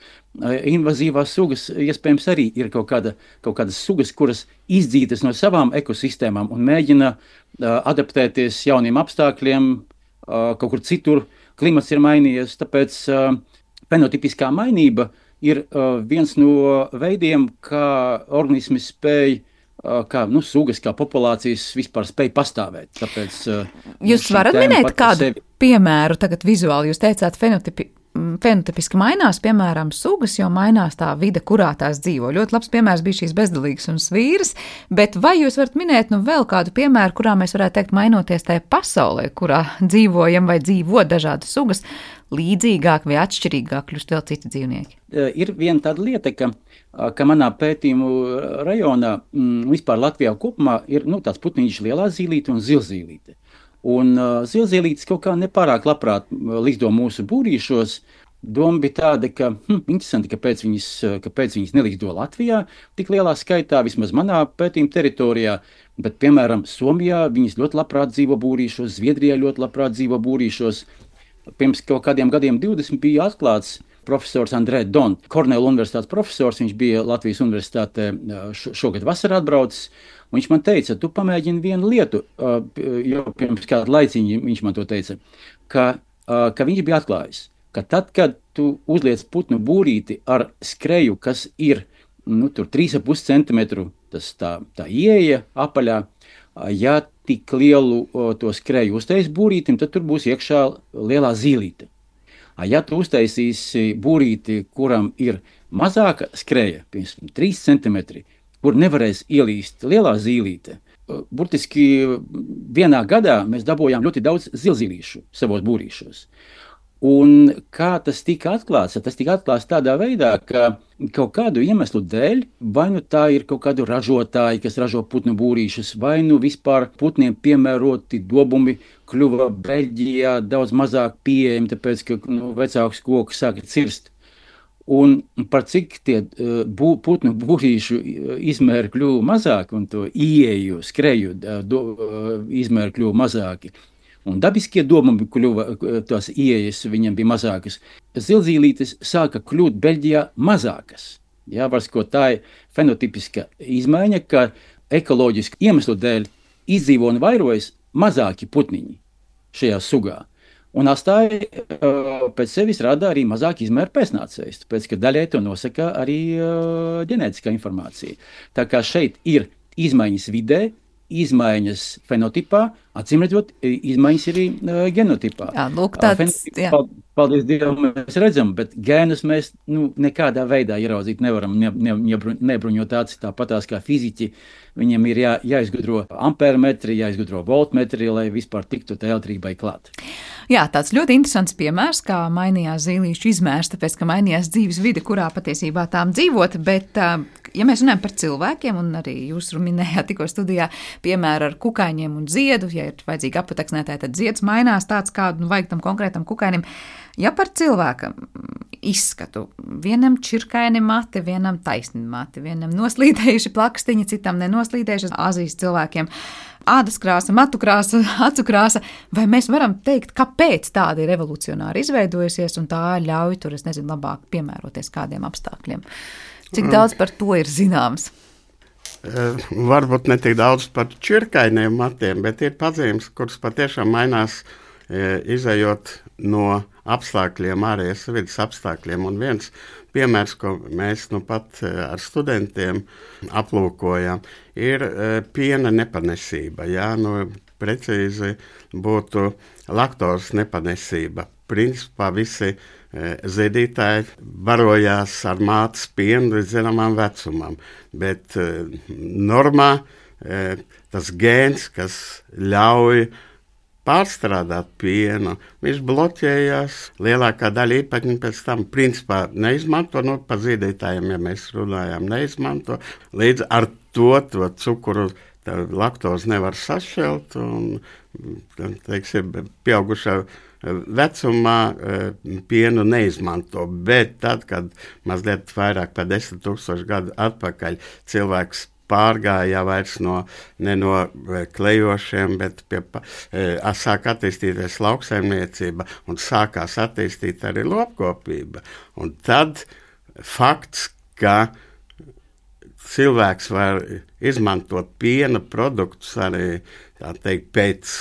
Invazīvās sugas iespējams arī ir kaut kādas sugas, kuras izdzītas no savām ekosistēmām un mēģina adaptēties jauniem apstākļiem, kaut kur citur. Klimats ir mainījies, tāpēc fenotipiskā mainība ir viens no veidiem, kā organismi spēj, kā sugas, kā populācijas vispār spēj pastāvēt. Tāpēc, jūs varat minēt kādu piemēru tagad vizuāli? Jūs teicāt, fenotipiski mainās, piemēram, sugas, jo mainās tā vide, kurā tās dzīvo. Ļoti labs piemērs bija šīs bezdalīgas un svīras, bet vai jūs varat minēt vēl kādu piemēru, kurā mēs varētu teikt, mainoties tajā pasaulē, kurā dzīvojam vai dzīvo dažādas sugas, līdzīgāk vai atšķirīgāk kļūst vēl citi dzīvnieki? Ir viena tāda lieta, ka manā pētījumu rajonā, vispār Latvijā kopumā, ir tāds putniņš lielā zīlīte un zilzīlīte. Un zilzīlītes kaut kā nepārāk labprāt likdo mūsu būrīšos. Doma bija tāda, ka interesanti, kāpēc viņas nelikdo Latvijā tik lielā skaitā, vismaz manā pētījuma teritorijā, bet, piemēram, Somijā viņas ļoti labprāt dzīvo būrīšos, Zviedrijā ļoti labprāt dzīvo būrīšos. Pirms kaut kādiem gadiem 20 bija atklāts profesors Andrē Don, Kornela universitātes profesors. Viņš bija Latvijas universitātē šogad vasarā atbraucis. Viņš man teica, tu pamēģini vienu lietu, jau pirms kādu laiciņu viņš man to teica, ka viņš bija atklājis, ka tad, kad tu uzliec putnu būrīti ar skreju, kas ir tur 3,5 centimetru, tas tā ieeja apaļā, ja tik lielu to skreju uztais būrītim, tad tur būs iekšā lielā zīlīte. Ja tu uztaisīsi būrīti, kuram ir mazāka skreja, piemēram, 3 centimetri, kur nevarēs ielīst lielā zīlīte, burtiski vienā gadā mēs dabūjām ļoti daudz zilzīlīšu savos būrīšos. Un kā tas tika atklāts? Tas tika atklāts tādā veidā, ka kaut kādu iemeslu dēļ, vai tā ir kaut kādu ražotāji, kas ražo putnu būrīšus, vai vispār putniem piemēroti dobumi kļuva Beļģijā daudz mazāk pieejami, tāpēc, ka vecāks koks sāka cirst. Un par cik tie putnu būrīšu izmēri kļuva mazāki un to ieeju, skreju izmēri kļuva mazāki. un dabiskie domumi kļuva, tās ieejas viņiem bija mazākas, zilzīlītes sāka kļūt Beļģijā mazākas. Jā, tā ir fenotipiska izmaiņa, ka ekoloģiski iemeslu dēļ izdzīvo un vairojas mazāki putniņi šajā sugā. Un astāji pēc sevis rada arī mazāk izmēru pēcnācējus, tāpēc, ka daļai to nosaka arī ģenētiskā informācija. Tā kā šeit ir izmaiņas vidē, izmaiņas fenotipā, acīmredzot, izmaiņas arī genotipā. Jā, lūk, tāds, jā. Paldies Dievam, mēs redzam, bet gēnus mēs nekādā veidā ieraudzīt nevaram, nebruņot acis tāpatās kā fiziķi. Viņiem ir jāizgudro ampērmetri, jāizgudro voltmetri, lai vispār tiktu tā elektrībai klāt. Jā, tāds ļoti interesants piemērs, kā mainījās zīlīšu izmērs, tāpēc, ka mainījās dzīves vide, kurā patiesībā tām dzīvot, bet, ja mēs runājam par cilvēkiem, un arī jūs minējāt tikko studijā piemēru ar kukaiņiem un ziedu, ja ir vajadzīgi apateksnētāji, tad zieds mainās tāds, kādu vajag tam konkrētam kukainim. Ja par cilvēkam izskatu, vienam čirkaini mati, vienam taisni mati, vienam noslīdējuši plakstiņi, citam nenoslīdējuši, Āzijas cilvēkiem ādas krāsa, matu krāsa, acu krāsa, vai mēs varam teikt, kāpēc tāda ir revolucionāri izveidojusies un tā ļauj tur, es nezinu, labāk piemēroties kādiem apstākļiem? Cik daudz par to ir zināms? Varbūt ne tik daudz par čirkainiem matiem, bet ir pazīmes, kuras patiešām mainās izējot no apstākļiem, ārējas vidas apstākļiem. Un viens piemērs, ko mēs pat ar studentiem aplūkojam, ir piena nepanesība. Jā, precīzi būtu laktozes nepanesība. Principā visi zīdītāji barojās ar mātes pienu līdz zināmam vecumam, bet normā tas gēns, kas ļauj pārstrādāt pienu, viņš bloķējās. Lielākā daļa īpatņu pēc tam principā neizmanto, par zīdītājiem, ja mēs runājām, neizmanto. Līdz ar to cukuru laktozi nevar sašķelt un, teiksim, pieaugušā vecumā pienu neizmanto. Bet tad, kad mazliet vairāk par 10,000 gadu atpakaļ cilvēks pārgāja vairs ne no klejošiem, bet sāk attīstīties lauksaimniecība un sākās attīstīt arī lopkopība. Un tad fakts, ka cilvēks var izmantot piena produktus arī, tā teikt, pēc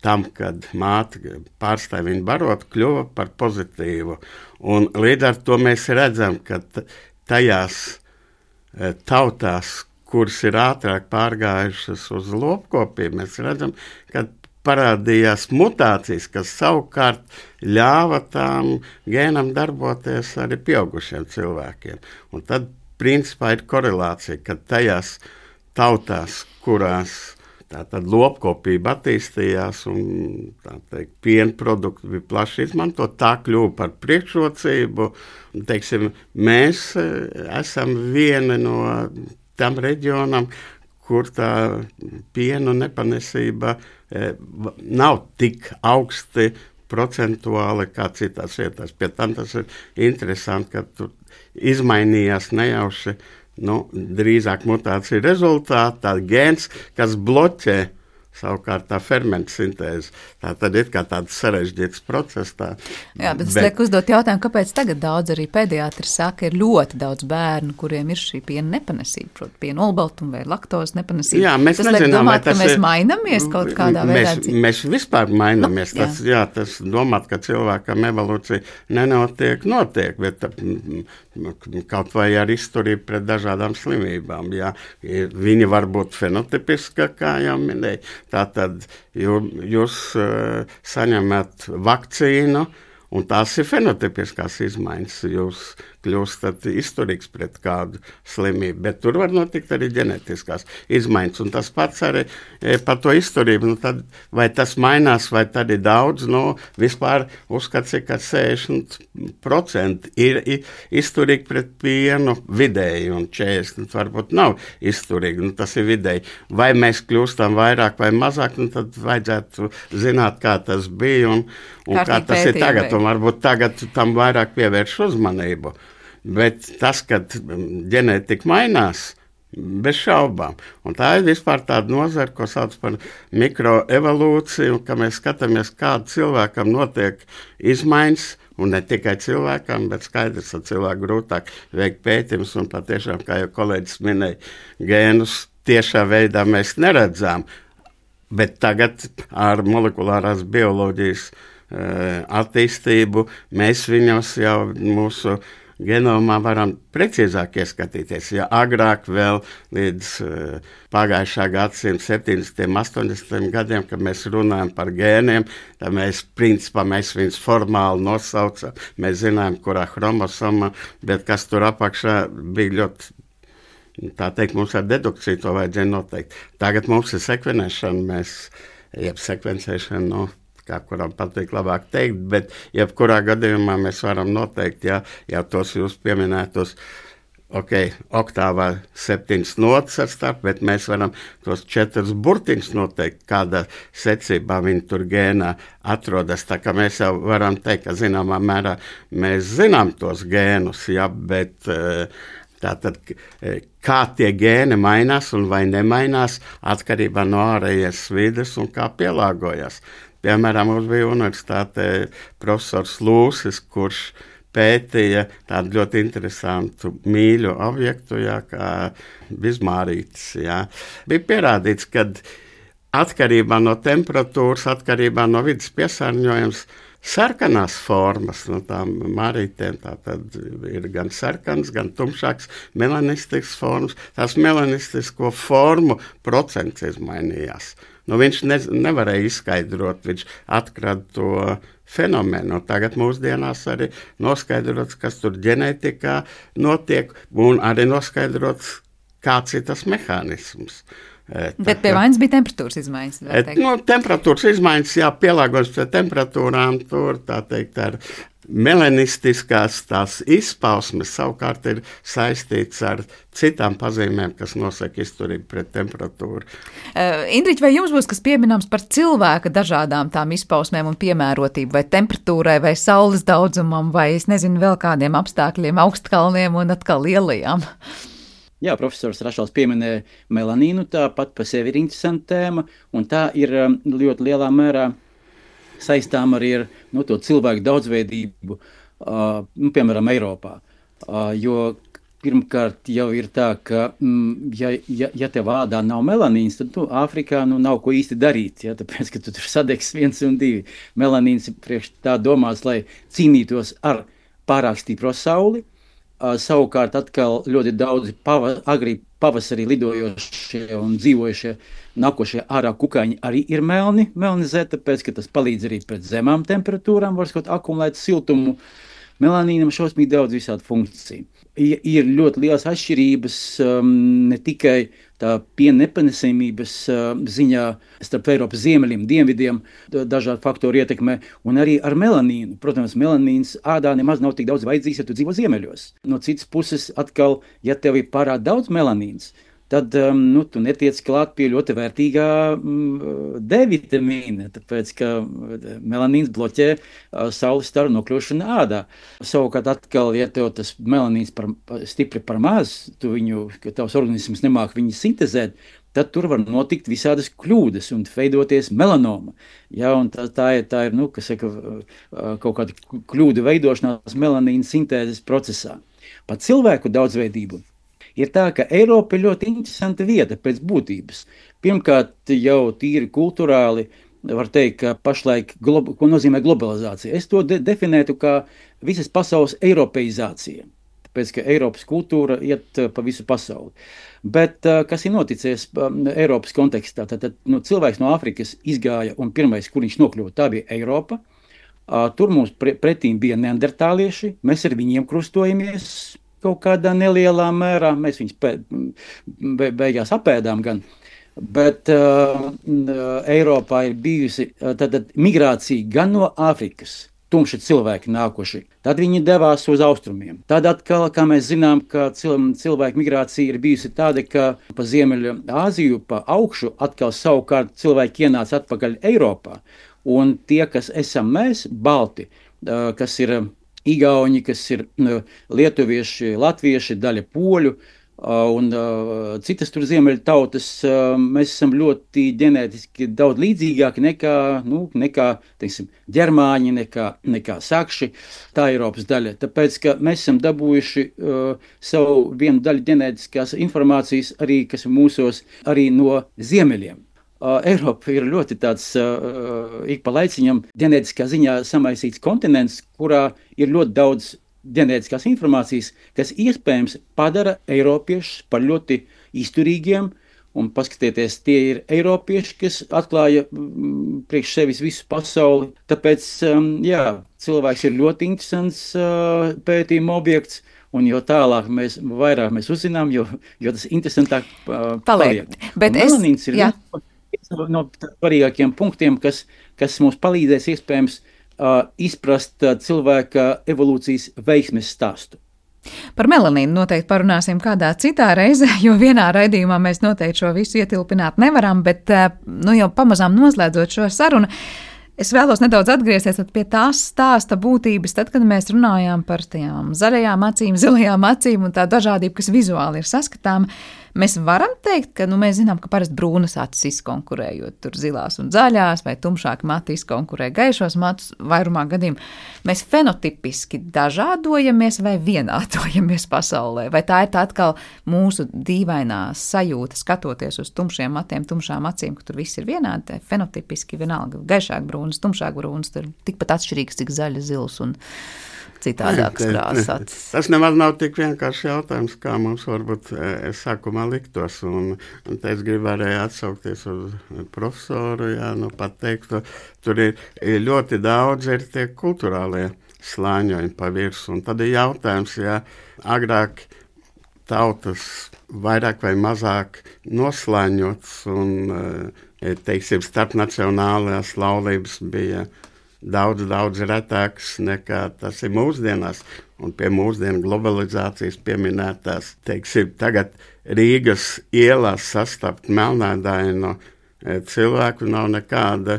tam, kad māte pārstāja viņu barot, kļuva par pozitīvu. Un līdz ar to mēs redzam, ka tajās tautās, kuras ir ātrāk pārgājušas uz lopkopību, mēs redzam, ka parādījās mutācijas, kas savukārt ļāva tām gēnam darboties arī pieaugušiem cilvēkiem. Un tad, principā, ir korelācija, ka tajās tautās, kurās tātad lopkopība attīstījās un, tā teikt, piena produkti bija plaši izmantot, tā kļuva par priekšrocību. Teiksim, mēs esam viena no tam reģionam, kur tā piena nepanesība nav tik augsti procentuāli kā citās vietās. Pie tam tas ir interesanti, ka tur izmainījās nejauši, drīzāk mutācija rezultātā gēns, kas bloķē savukārt tā fermentu sintēze. Tā tad ir kā tāds sarežģīts process. Jā, bet es lieku uzdot jautājumu, kāpēc tagad daudz arī pediatri saka, ir ļoti daudz bērnu, kuriem ir šī piena nepanesība, proti piena olbaltuma vai laktozes nepanesība. Jā, mēs nezinām, domāt, ka mēs mainamies kaut kādā veidā. Mēs vispār mainamies. Tas domāt, ka cilvēkam evolūcija notiek, bet kaut vai ar izturību pret dažādām slimībām. Jā, viņi var būt fenotipiski, kā jau minēja. Tātad jūs saņemat vakcīnu, un tās ir fenotipiskās izmaiņas. Jūs kļūstat izturīgs pret kādu slimību, bet tur var notikt arī ģenētiskās izmaiņas. Un tas pats arī par to izturību. Tad, vai tas mainās, vai tad ir daudz, vispār uzskats, ka 60% ir izturīgi pret pienu vidēji, un 40% varbūt nav izturīgi. Tas ir vidēji. Vai mēs kļūstam vairāk vai mazāk, tad vajadzētu zināt, kā tas bija un kā tas ir tagad. Un varbūt tagad tam vairāk pievērš uzmanību. Bet tas, kad ģenētika mainās, Bez šaubām. Un tā ir vispār tāda nozara, ko sauc par mikroevolūciju, ka mēs skatāmies, kāda cilvēkam notiek izmaiņas, un ne tikai cilvēkam, bet skaidrs, ka cilvēku grūtāk veikt pētījumus, un patiešām, kā jau kolēģis minēja, gēnus tiešā veidā mēs neredzām, bet tagad ar molekulārās bioloģijas attīstību mēs viņos jau mūsu genomā varam precīzāk ieskatīties. Ja agrāk vēl līdz pagājušā gadsimta 70. un 80. gadiem, kad mēs runājam par gēniem, tad mēs viņus formāli nosaucam. Mēs zinām, kurā chromosoma, bet kas tur apakšā bija ļoti, tā teikt, mums ar dedukciju to vajadzēja noteikt. Tagad mums ir sekvenēšana, jeb sekvencēšana, kā kuram patīk labāk teikt, bet jebkurā gadījumā mēs varam noteikt, ja tos jūs pieminētos, oktāvā 7 notas ar starp, bet mēs varam tos 4 burtiņus noteikt, kādā secībā viņi tur gēnā atrodas. Tā kā mēs jau varam teikt, ka zināmā mērā mēs zinām tos gēnus, bet tātad, kā tie gēni mainās un vai nemainās atkarībā no ārējas vides un kā pielāgojas. Piemēram, mums bija universitātē profesors Lūsis, kurš pētīja tādu ļoti interesantu mīļu objektu, kā bizmārītis. Bija pierādīts, ka atkarībā no temperatūras, atkarībā no vidas piesārņojums, sarkanās formas no tām mārītēm, tātad ir gan sarkans, gan tumšāks melanistisks formas. Tās melanistisko formu procents izmainījās. Viņš nevarēja izskaidrot, viņš atkrada to fenomenu. Tagad mūsdienās arī noskaidrots, kas tur ģenētikā notiek, un arī noskaidrots, kāds ir tas mehānisms. Bet pie vainas bija temperatūras izmaiņas. Temperatūras izmaiņas, pielāgojas pie temperatūrām, tur tā teikt ar melanistiskās tās izpausmes savukārt ir saistīts ar citām pazīmēm, kas nosaka izturību pret temperatūru. Indriķi, vai jums būs kas pieminams par cilvēka dažādām tām izpausmēm un piemērotību, vai temperatūrai, vai saules daudzumam, vai es nezinu vēl kādiem apstākļiem, augstkalniem un atkal lielajām? Jā, profesors Rašals pieminēja melanīnu, tā pat par sevi ir interesanta tēma, un tā ir ļoti lielā mērā saistām arī ar to cilvēku daudzveidību, piemēram, Eiropā. Jo pirmkārt jau ir tā, ka ja tev ādā nav melanīns, tad Āfrikā nav ko īsti darīt, tāpēc, ka tu tur sadegs 1 un 2. Melanīns ir priekš tā domāts, lai cīnītos ar pārāk stipro sauli. Savukārt atkal ļoti daudzi agri pavasarī lidojošie un dzīvojušie nākošie ārā kukaiņi arī ir melnizē, tāpēc, ka tas palīdz arī pret zemām temperatūrām, var akumulēt siltumu. Melanīnam šausmīgi daudz visādu funkciju. Ir ļoti liels atšķirības ne tikai tā piena nepanesamības ziņā starp Eiropas ziemeļiem, dienvidiem, dažādu faktoru ietekmē, un arī ar melanīnu. Protams, melanīns ādā nemaz nav tik daudz vajadzīgs, ja tu dzīvo ziemeļos. No citas puses, atkal, ja tev ir pārāk daudz melanīns, tad tu netiec klāt pie ļoti vērtīgā D-vitamīna, tāpēc, ka melanīns bloķē saules staru nokļūšanu ādā. Savukārt atkal, ja tev tas melanīns stipri par maz, ka tavs organisms nemāk viņu sintezēt, tad tur var notikt visādas kļūdas un veidoties melanoma. Un tā ir kaut kāda kļūda veidošanās melanīna sintēzes procesā. Par cilvēku daudzveidību ir tā, ka Eiropa ir ļoti interesanta vieta pēc būtības. Pirmkārt, jau tīri kulturāli var teikt, ka pašlaik, ko nozīmē globalizācija. Es to definētu kā visas pasaules eiropeizācija, tāpēc, ka Eiropas kultūra iet pa visu pasauli. Bet kas ir noticies Eiropas kontekstā? Tad cilvēks no Āfrikas izgāja un pirmais, kur viņš nokļuva, tā bija Eiropa. Tur mums pretīm bija neandertālieši, mēs ar viņiem krustojamies kaut kādā nelielā mērā, mēs viņus beigās apēdām gan, bet Eiropā ir bijusi migrācija gan no Āfrikas, tumši cilvēki nākuši, tad viņi devās uz austrumiem. Tad atkal, kā mēs zinām, ka cilvēku migrācija ir bijusi tāda, ka pa Ziemeļu Āziju, pa augšu, atkal savukārt cilvēki ienāca atpakaļ Eiropā, un tie, kas esam mēs, balti, kas ir Igauņi, kas ir lietuvieši, latvieši, daļa poļu, un citas tur ziemeļu tautas, mēs esam ļoti ģenētiski daudz līdzīgāki nekā teiksim, ģermāņi, nekā sakši, tā Eiropas daļa. Tāpēc, ka mēs esam dabūjuši savu vienu daļu ģenētiskās informācijas arī, kas ir mūsos, arī no ziemeļiem. Eiropa ir ļoti tāds ik pa laiciņam ģenētiskā ziņā samaisīts kontinents, kurā ir ļoti daudz ģenētiskās informācijas, kas iespējams padara eiropiešus par ļoti izturīgiem, un paskatieties, tie ir eiropieši, kas atklāja priekš sevis visu pasauli. Tāpēc, cilvēks ir ļoti interesants pētījuma objekts, un jo tālāk vairāk mēs uzzinām, jo tas interesantāk paliek. Bet melanīns ir viens no svarīgākiem punktiem, kas mums palīdzēs iespējams izprast cilvēka evolūcijas veiksmes stāstu. Par melanīnu noteikti parunāsim kādā citā reizē, jo vienā raidījumā mēs noteikti šo visu ietilpināt nevaram, bet jau pamazām noslēdzot šo sarunu, es vēlos nedaudz atgriezties pie tās stāsta būtības, tad, kad mēs runājām par tām zaļajām acīm, zilajām acīm un tā dažādība, kas vizuāli ir saskatāma. Mēs varam teikt, ka mēs zinām, ka parasti brūnas acis izkonkurējot tur zilās un zaļās, vai tumšāki mati izkonkurē gaišos matus vairumā gadījumu. Mēs fenotipiski dažādojamies vai vienādojamies pasaulē, vai tā ir tā atkal mūsu dīvainā sajūta, skatoties uz tumšiem matiem, tumšām acīm, ka tur viss ir vienādi, fenotipiski vienalga, gaišāk brūnas, tumšāk brūnas, tur tikpat atšķirīgs, cik zaļa, zils un citādākas krāsas. Tas nemaz nav tik vienkārši jautājums, kā mums varbūt sākumā liktos. Un te es gribu arī atsaukties uz profesoru, pateikt, tur ir ļoti daudz ir tie kulturālie slāņojumi pa virsu. Un tad ir jautājums, agrāk tautas vairāk vai mazāk noslāņots un, teiksim, starpnacionālās laulības bija daudz retāks nekā tas ir mūsdienās, un pie mūsdienu globalizācijas pieminētās, teiksim, tagad Rīgas ielās sastapt melnādaino cilvēku nav nekāda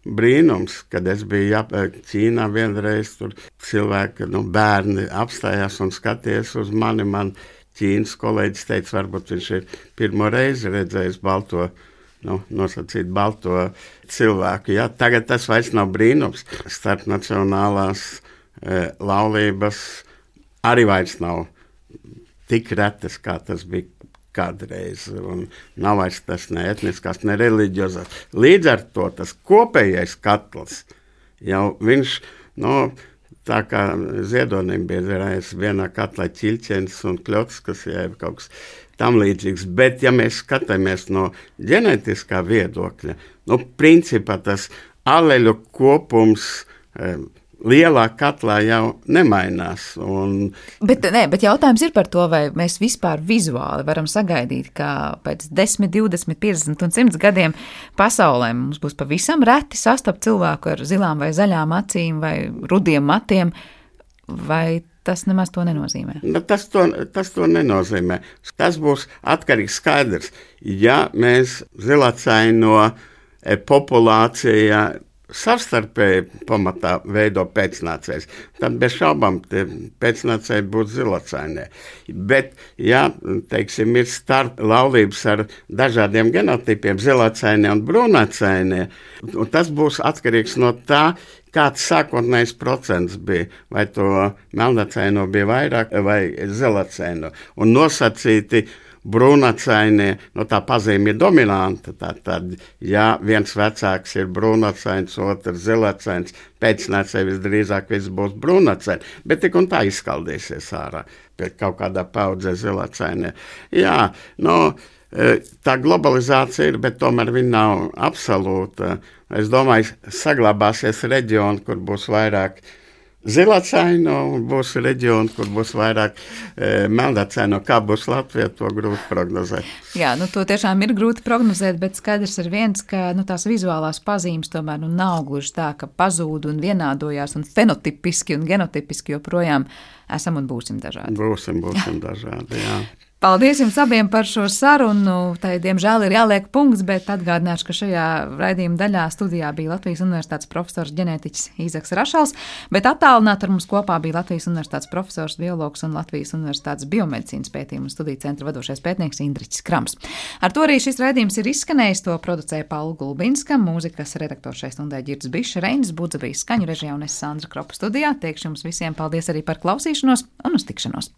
brīnums, kad es biju Ķīnā vienreiz, tur cilvēki, bērni apstājās un skaties uz mani, man Ķīnas kolēģis teica, varbūt viņš ir pirmo reizi redzējis nosacīt balto cilvēku. Tagad tas vairs nav brīnums. Starpnacionālās laulības arī vairs nav tik retas, kā tas bija kādreiz. Un nav vairs tas ne etniskās, ne reliģiozās. Līdz ar to tas kopējais katls jau viņš, tā kā Ziedonim bija vienā katlā ķilķens un kļots, kas jau kaut kas tam līdzīgs, bet ja mēs skatāmies no ģenētiskā viedokļa, principā tas aleļu kopums lielā katlā jau nemainās. Bet jautājums ir par to, vai mēs vispār vizuāli varam sagaidīt, ka pēc 10, 20, 50 un 100 gadiem pasaulē mums būs pavisam reti sastapt cilvēku ar zilām vai zaļām acīm vai rudiem matiem, vai tas nemaz to nenozīmē? Tas to nenozīmē. Tas būs atkarīgs skaidrs. Ja mēs zilacaino populācijā savstarpēji pamatā veido pēcnācējs, tad bez šaubām pēcnācēji būtu zilacainie. Bet, teiksim, ir starp laulības ar dažādiem genotipiem, zilacainie un brūnacainie, un tas būs atkarīgs no tā, kāds sākotnējs procents bija, vai to melnacaino bija vairāk vai zilacaino. Un nosacīti brūnacainie, tā pazīme ir dominanta. Tad, viens vecāks ir brūnacains, otrs zilacains, pēcnācēji visdrīzāk viss būs brūnacaini, bet tik un tā izskaldīsies ārā pie kaut kādā paudzē zilacainie. Tā globalizācija ir, bet tomēr viņa nav absolūta. Es domāju, saglabāsies reģioni, kur būs vairāk zilacaino, un būs reģioni, kur būs vairāk melnacaino. Kā būs Latvijā, to grūti prognozēt. To tiešām ir grūti prognozēt, bet skaidrs ir viens, ka tās vizuālās pazīmes tomēr nav gluži tā, ka pazūd un vienādojās un fenotipiski un genotipiski joprojām esam un būsim dažādi. Būsim dažādi, jā. Paldies jums abiem par šo sarunu. Tai, diemžēl, ir jāliek punkts, bet atgādināšu, ka šajā raidījuma daļā studijā bija Latvijas Universitātes profesors ģenētiķis Īzaks Rašals, bet attālināti ar mums kopā bija Latvijas Universitātes profesors, biologs un Latvijas Universitātes biomedicīnas pētījumu un studiju centra vadošais pētnieks Indriķis Krams. Ar to arī šis raidījums ir izskanējis. To producēja Paula Gulbinska, mūzikas redaktors šai stundai Ģirds Bišs, Reinis Budze bija skaņu režijā un es Sandra Kropa studijā. Teikšu jums visiem paldies arī par klausīšanos un uz tikšanos.